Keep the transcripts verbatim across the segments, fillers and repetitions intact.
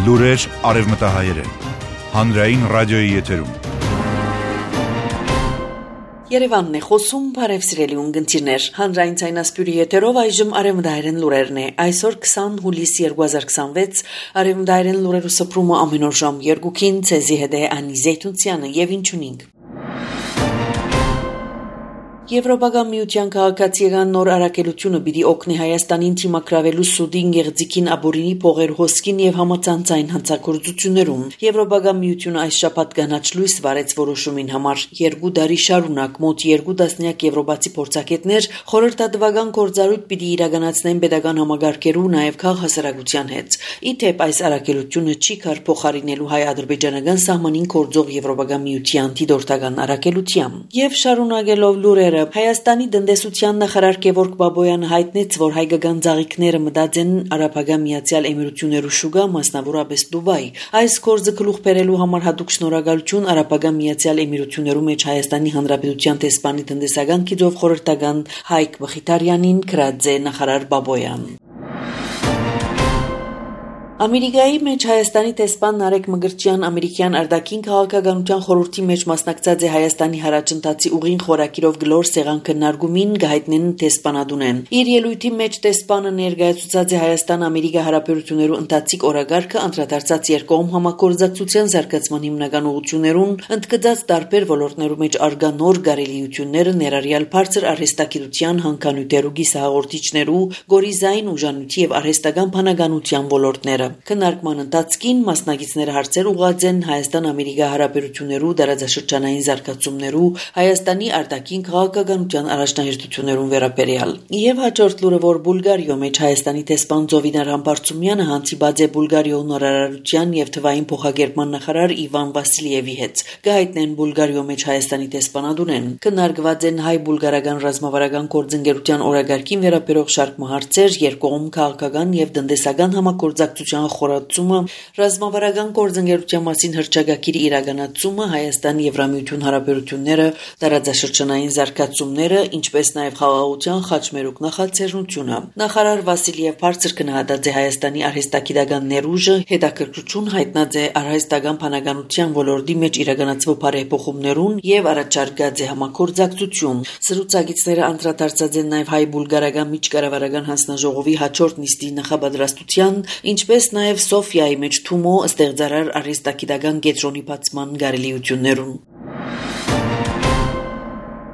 Լուրեր արևմտահայերեն, հանրային ռադիոյի եթերում։ Երևանն է խոսում, բարև սիրելի ունգընտիրներ, հանրային ցայնասպյուրի եթերով այժմ արևմտահայերեն լուրերն է, այսօր քսան հուլիս երկու հազար քսանվեց, արևմտահայերեն լուրերու սփռումը ամեն օր ժամ երկուքին, ցեզի հետ է Անի Զեյթունցյանը եւ ինչունինք։ Եվրոպական միության քաղաքացիական նոր առաքելությունը պիտի օգնի Հայաստանին թիմակրավելու Սուդին, Գեղձիկին, Աբորինի, Փողեր, Հոսքին եւ համացանցային հանցագործություններում։ Եվրոպական միությունը այս շաբաթ կանաչ լույս վարեց որոշումին համար։ Երկու տարի շարունակ մոտ երկու տասնյակ եվրոպացի փորձագետներ խորհրդատվական գործառույթ պիտի իրականացնեն պետական համագարկերու նաեւ քաղաքասարակության հետ։ Իթեպ այս առաքելությունը չի կար փոխարինելու հայ-ադրբեջանական սահմանին կորձող Եվրոպական միության դիտորդական առաքելությամբ։ Եվ շարունակելով լուրերը Հայաստանի տնտեսության նախարար Գևորգ Բաբոյանը հայտնեց, որ հայկական ծաղիկները մտած են Արաբական Միացյալ Էմիրություններու շուկա, մասնավորապես Դուբայ։ Այս գործը գլուխ բերելու համար հատուկ շնորհակալություն Արաբական Միացյալ Էմիրություններու մեջ Հայաստանի Հանրապետության տեսփանի տնտեսական գիծով խորհրդական Հայկ Բխիտարյանին գրած է նախարար Բաբոյան։ Ամերիկայի մեջ Հայաստանի տեսփան Նարեկ Մգրտչյան ամերիկյան արտաքին քաղաքականության խորհրդի մեջ մասնակցած է Հայաստանի հարաճընթացի ուղին խորակիրով գլոր սեղան քննարկումին գահիտնեն տեսփանադունեն։ Իր ելույթի մեջ տեսփանը ներկայացուցած է Հայաստան-Ամերիկա հարաբերություններու ընթացիկ օրագարկը անդրադարձած երկկողմ համագործակցության զարգացման հիմնական ուղղություններուն, ընդգծած տարբեր ոլորտներու մեջ արգա նոր գարելիությունները ներառյալ բարձր արհեստագիտության, հանքանյութերու, գիսահաղորդիչներու, գորիզային ուժանույթի եւ արհեստական բանականության ոլորտները։ Քննարկման ընթացքին մասնակիցները հարցեր ուղղած են Հայաստան-Ամերիկա հարաբերություններու դարաձաշրջանային զարգացումներու, Հայաստանի արտաքին քաղաքականության առաջնահերթություններուն վերաբերյալ։ Եվ հաջորդ լուրը, որ Բուլգարիո մեջ Հայաստանի տեսփան Զովինար Համբարձումյանը հանդիպած է Բուլգարիո նորարարության եւ թվային փոխագերբման նախարար Իվան Վասիլիևի հետ։ Գահիտնեն Բուլգարիո մեջ Հայաստանի տեսփանադունեն։ Քննարկված են հայ-բուլգարական ռազմավարական գործընկերության օրագարկին վերաբերող շարք հարցեր, երկկողմ քաղաքական եւ տնտեսական համագործակցություն խորացումը, ռազմավարական գործընկերության մասին հռչակագիրի իրականացումը, Հայաստան-Եվրամիություն հարաբերությունները, տարածաշրջանային զարգացումները, ինչպես նաև խաղաղության խաչմերուկ նախաձեռնությունը։ Նախարար Վասիլիև բարձր գնահատած է Հայաստանի արհեստագիտական ներուժը, հետաքրքրություն հայտնած է արհեստական բանականության ոլորտի մեջ իրականացվող բարեփոխումներուն եւ առաջարկած է համագործակցություն։ Զրուցակիցները անդրադարձած են նաև հայ-բուլգարական միջկառավարական հանձնաժողովի հաջորդ նիստի նախաբադրաստության, ինչպես նաև Սոֆիայի մեջ Թումո ստեղծարար արհեստագիտական կենտրոնի բացման գարելիություններուն։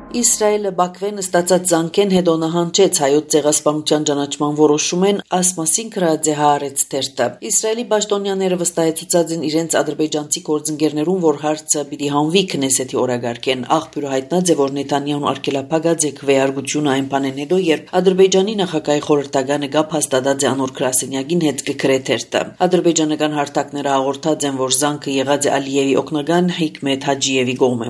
Իսրայելը Բաքվեն ստացած զանգեն հետո նահանջեց հայոց ցեղասպանության ճանաչման որոշումեն, ասմասին գրած է Հaaretz թերթը։ Իսրայելի պաշտոնյաները վստահեցուցած են իրենց ադրբեջանցի գործընկերներուն, որ հարցը պիտի հանվի Քնեսեթի օրագարկեն։ Աղբյուրը հայտնած է, որ Նեթանյահուն արգելափակած է քվեարկությունը այն բանեն հետո, երբ Ադրբեջանի նախագահի խորհրդականը գապ հաստատած է անոր գրասենյակին հետ կգրե թերթը։ Ադրբեջանական հարթակները հաղորդած են, որ զանգը եղած է Ալիևի օգնական Հիկմեթ Հաջիևի կողմէ։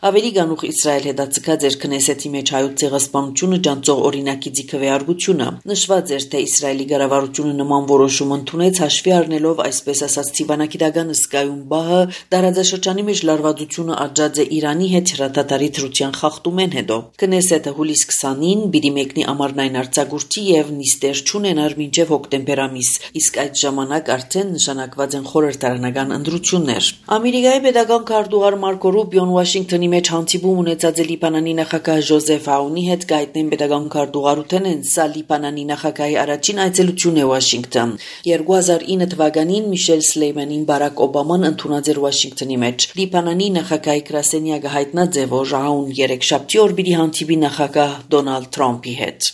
Ավելի գանուխ Իսրայել հետաձգած Քնեսեթի մեջ հայոց ցեղասպանությունը ջանցող օրինակի ձգվեարկությունը։ Նշված էր, թե Իսրայելի կառավարությունը նման որոշում ընդունեց հաշվի առնելով այսպես ասած ցիվանագիտական սկայուն բահը, տարածաշրջանի մեջ լարվածությունը աջած է Իրանի հետ հրադադարի դրության խախտումեն հետո։ Քնեսեթը հուլիս քսանին պիտի մեկնի ամառնային արձակուրդի եւ նիստեր չունենար մինչեւ հոկտեմբեր ամիս, իսկ այդ ժամանակ արդեն նշանակված են խորհրդարանական ընտրություններ։ Ամերիկայի պետական քարտուղար Մարկո Ռուբիոն Վաշինգտոնի մեջ հանդիպում ունեցած է Լիբանանի նախագահ Ժոզեֆ Աունի հետ գայտնեն պետական քարտուղարութեն են սա Լիբանանի նախագահի առաջին այցելությունն է Վաշինգտոն։ երկու հազար ինը թվականին Միշել Սլեյմանին Բարակ Օբաման ընդունած էր Վաշինգտոնի մեջ։ Լիբանանի նախագահի գրասենյակը հայտնած է, որ Աուն երեքշաբթի օր պիտի հանդիպի նախագահ Դոնալդ Թրամփի հետ։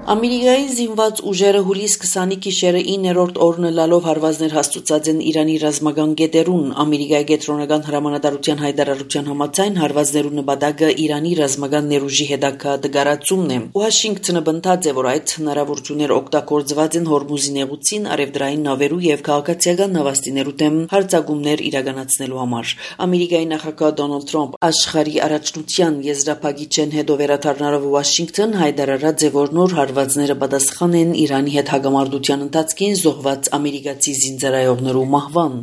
Ամերիկայի զինված ուժերը հուլիս քսանի գիշերը իններորդ օրն լալով հարվածներ հաստուցած են Իրանի ռազմական գետերուն։ Ամերիկայի կենտրոնական հրամանատարության հայտարարության համաձայն հարվածներու նպատակը Իրանի ռազմական ներուժի հետագա դգարացումն է։ Վաշինգտոնը բնդած է, որ այդ հնարավորությունները օգտագործված են Հորմուզի նեղուցին, արևդրային նավերու եւ քաղաքացիական նավաստիներու դեմ հարձակումներ իրականացնելու համար։ Ամերիկայի նախագահ Դոնալդ Թրամփ աշխարհի առաջնության եզրափակիչեն հետո վերադառնալով Վաշինգտոն հայտարարած է, որ նոր հարվածները պատասխան են Իրանի հետ հագամարտության ընթացքին զոհված ամերիկացի զինծառայողներու մահվան։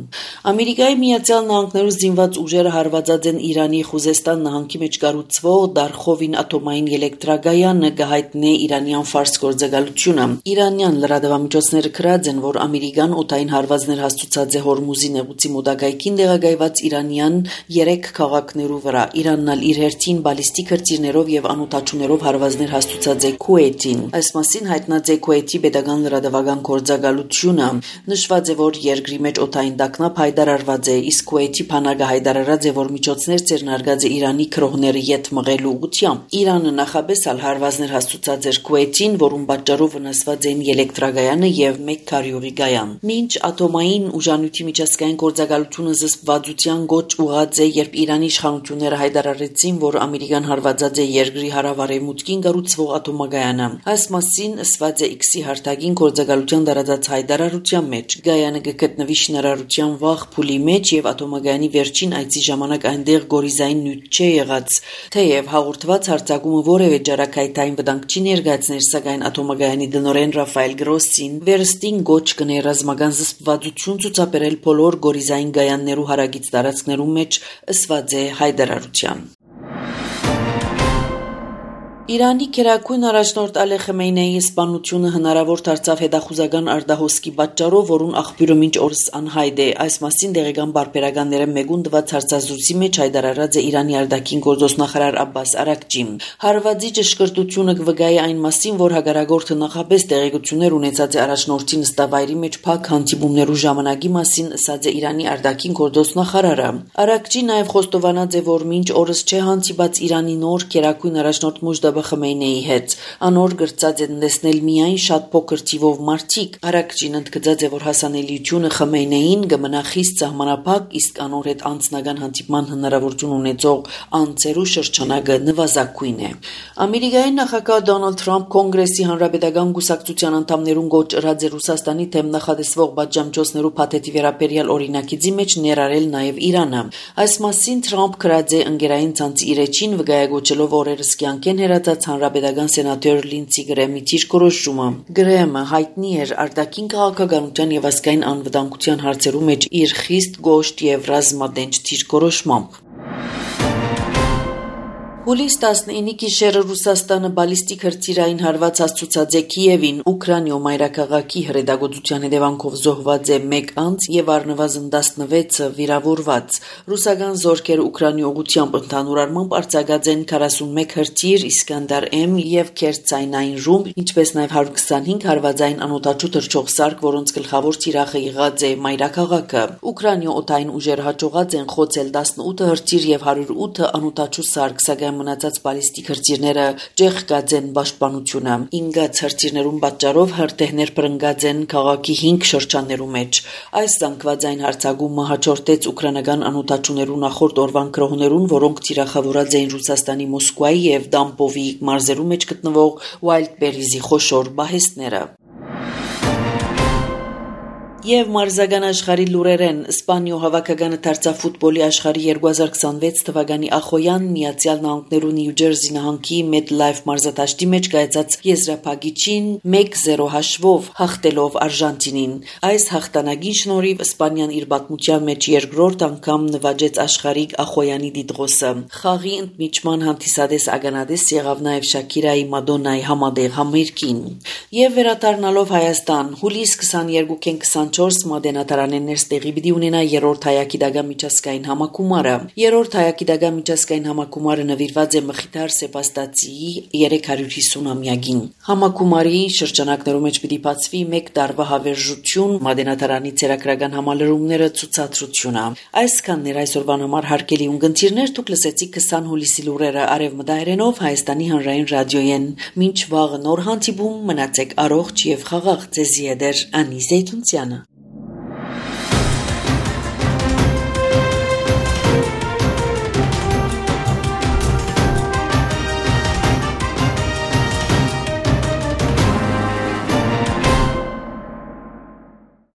Ամերիկայի Միացյալ Նահանգներու զինված ուժերը հարվածած են Իրանի Խուզեստան նահանգի մեջ կառուցվող Դարխովին ատոմային էլեկտրագայանը, գահիտնե Իրանյան ֆարս գործակալությունը։ Իրանյան լրատվամիջոցները գրած են, որ ամերիկան օդային հարվածներ հաստուցած է Հորմուզի նեղուցի մոտակայքին տեղակայված իրանյան երեք քաղաքներու վրա։ Իրանն ալ իր հերթին բալիստիկ հրթիռներով եւ անօդաչուներով հարվածներ հաստուցած է Քուվեյթին։ Այս մասին հայտնած է Քուվեյթի պետական լրատվական գործակալությունը։ Նշված է, որ երկրի մեջ օդային տագնապ հայտարարված է, իսկ Քուվեյթի բանակը հայտարարած է, որ միջոցներ ձեռնարկած է Իրանի քրոհները յետ մղելու ուղղությամբ։ Իրանը նախաբես ալ հարվածներ հաստուցած էր Քուվեյթին, որում պատճառով վնասված էին էլեկտրագայանը եւ մեկ քարյուղի գայան։ Մինչ ատոմային ուժանյութի միջազգային գործակալությունը զսպվածության գոչ ուղղած է, երբ Իրանի իշխանությունները հայտարարեցին, որ ամերիկան հարվածած է երկրի հարավարևմուտքին կառուցվող ատոմագայանը։ Այս մասին ասված է X-ի հարթակին գործակալության տարածած հայտարարության մեջ։ Գայանը կգտնվի շինարարության վաղ փուլի մեջ եւ ատոմագայանի վերջին այցի ժամանակ այնտեղ գորիզային նյութ չէ եղած։ Թեև հաղորդված հարձակումը որևէ ջարակայթային վտանգ չի ներկայացներ, սակայն ատոմագայանի դնորեն Ռաֆայել Գրոսին վերստին գոչ կներ ռազմական զսպվածություն ցուցաբերել բոլոր գորիզային գայաններու հարագից տարածքներու մեջ, ասված է հայտարարության։ Իրանի քերակույն առաջնորդ Ալի Խամենեիի սպանությունը հնարավոր դարձավ հետախուզական արտահոսքի պատճառով, որուն աղբյուրը մինչ օրս անհայտ է։ Այս մասին տեղական բարբերականները մեկուն տված հարցազրույցի մեջ հայտարարած է Իրանի արտաքին գործոստ նախարար Աբբաս Արաքչին։ Հարվածի ճշգրտությունը կվգայի այն մասին, որ հագարագործը նախապես տեղեկություններ ունեցած է առաջնորդի նստավայրի մեջ փակ հանդիպումներու ժամանակի մասին, ասած է Իրանի արտաքին գործոստ նախարարը։ Արաքչին նաև խոստովանած է, որ մինչ օրս չէ հանդիպած Իրանի նոր քերակույն առաջնորդ Մոջդաբա Խամենեիի հետ։ Անոր գրծած են տեսնել միայն շատ փոքր թիվով մարդիկ։ Արաքչին ընդգծած է, որ հասանելիությունը Խամենեին կմնա խիստ սահմանափակ, իսկ անոր հետ անձնական հանդիպման հնարավորություն ունեցող անձերու շրջանակը նվազագույն է։ Ամերիկայի նախագահ Դոնալդ Թրամփ Կոնգրեսի հանրապետական կուսակցության անդամներուն գոչ ըրած է Ռուսաստանի թեմ նախադեсվող պատժամիջոցներու փաթեթի վերաբերյալ օրինակիցի մեջ ներառել նաև Իրանը։ Այս մասին Թրամփ գրած է ընկերային ցանցի իր էջին, վկայակոչելով օրերս կյանքեն հերացած հանրապետական սենատոր Լինցի Գրեմի դիրքորոշումը։ Գրեմը հայտնի էր արտաքին քաղաքականության եւ ազգային անվտանգության հարցերու մեջ իր խիստ գոշտ եւ ռազմադենչ դիրքորոշմամբ։ Հուլիս տասնինի գիշերը Ռուսաստանը բալիստիկ հրթիռային հարված հաստուցած է Կիևին, Ուկրաինայում մայրաքաղաքի հրետակոծության հետևանքով զոհված է մեկ անձ եւ առնվազն տասնվեցը վիրավորված։ Ռուսական զորքերը Ուկրաինայի ուղղությամբ ընդհանուր առմամբ արձակած են քառասունմեկ հրթիռ Իսկանդար M եւ Քերծայնային ռումբ, ինչպես նաեւ հարյուր քսանհինգ հարվածային անօդաչու թռչող սարք, որոնց գլխավոր թիրախը եղած է մայրաքաղաքը։ Ուկրաինայի օդային ուժերը հաջողած են խոցել տասնութ հրթիռ եւ հարյուր ութ անօդաչու սարք, սակայն մնացած բալիստիկ հրթիռները ջեղկած են պաշտպանությունը։ Ինգած հրթիռներուն պատճառով հրթիռներ բռնկած են քաղաքի հինգ շրջաններու մեջ։ Այս զանգվածային հարձակումը հաջորդեց ուկրաինական անօդաչուներու նախորդ օրվան գրոհներուն, որոնք թիրախավորած էին Ռուսաստանի Մոսկվայի եւ Դամպովի մարզերու մեջ գտնվող Ուայլդբերիզի խոշոր բահեստները։ Եվ մարզական աշխարհի լուրերեն Իսպանիո հավաքականը դարձավ ֆուտբոլի աշխարհի երկու հազար քսանվեց թվականի ախոյան Միացյալ Նահանգներու Նյու Ջերսի նահանգի MetLife մարզադաշտի մեջ կայացած եզրափակիչին մեկ զիրո հաշվով հաղթելով Արժանտինին։ Այս հաղթանակին շնորհիվ Իսպանիան իր պատմության մեջ երկրորդ անգամ նվաճեց աշխարհիկ ախոյանի տիտղոսը։ Խաղի ընդմիջման հանդիսադես ականադես եղավ նաև Շաքիրայի Մադոննայի համատեղ համերգին։ Եվ վերադառնալով Հայաստան, հուլիս քսաներկուին քսանչորս մատենատարաններս տեղի պիտի ունենա երրորդ հայագիտական միջազգային համակումարը։ Երրորդ հայագիտական միջազգային համակումարը նվիրված է Մխիթար Սեբաստացիի երեք հարյուր հիսունամյակին։ Համակումարի շրջանակներում մեջ պիտի բացվի մեկ տարվա հավերժություն, մատենատարանի ցերակրական համալրումները, ցուցադրությունը։ Այսքանն էր այսօրվան համար հարգելի ունկնդիրներ, դուք լսեցիք քսան հուլիսի լուրերը արևմտահայերենով Հայաստանի հանրային ռադիոյեն։ Մինչ վաղը նոր հանդիպում, մնացեք առողջ եւ խաղաղ, ձեզի հետ է Անի Զեյթունցյանը։